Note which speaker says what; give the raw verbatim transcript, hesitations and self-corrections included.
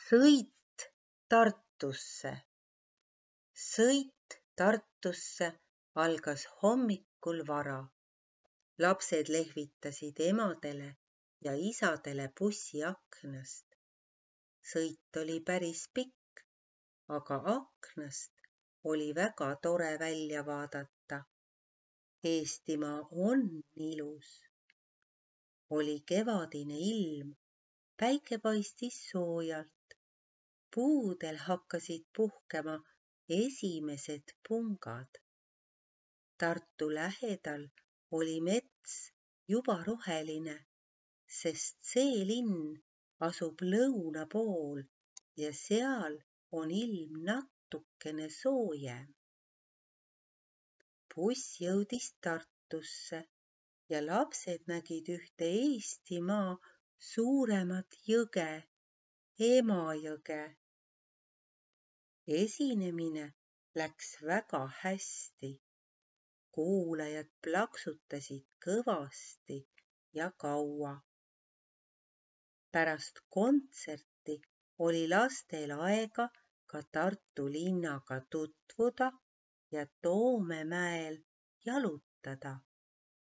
Speaker 1: Sõit Tartusse. Sõit Tartusse algas hommikul vara. Lapsed lehvitasid emadele ja isadele bussi aknast. Sõit oli päris pikk, aga aknast oli väga tore välja vaadata. Eestimaa on ilus. Oli kevadine ilm, päike paistis soojalt. Puudel hakkasid puhkema esimesed pungad. Tartu lähedal oli mets juba roheline, sest see linn asub lõuna pool ja seal on ilm natukene soojem. Buss jõudis Tartusse ja lapsed nägid ühte Eestimaa suuremat jõge, Emajõge. Esinemine läks väga hästi. Kuulajad plaksutasid kõvasti ja kaua. Pärast kontserti oli lastel aega ka Tartu linnaga tutvuda ja Toomemäel jalutada.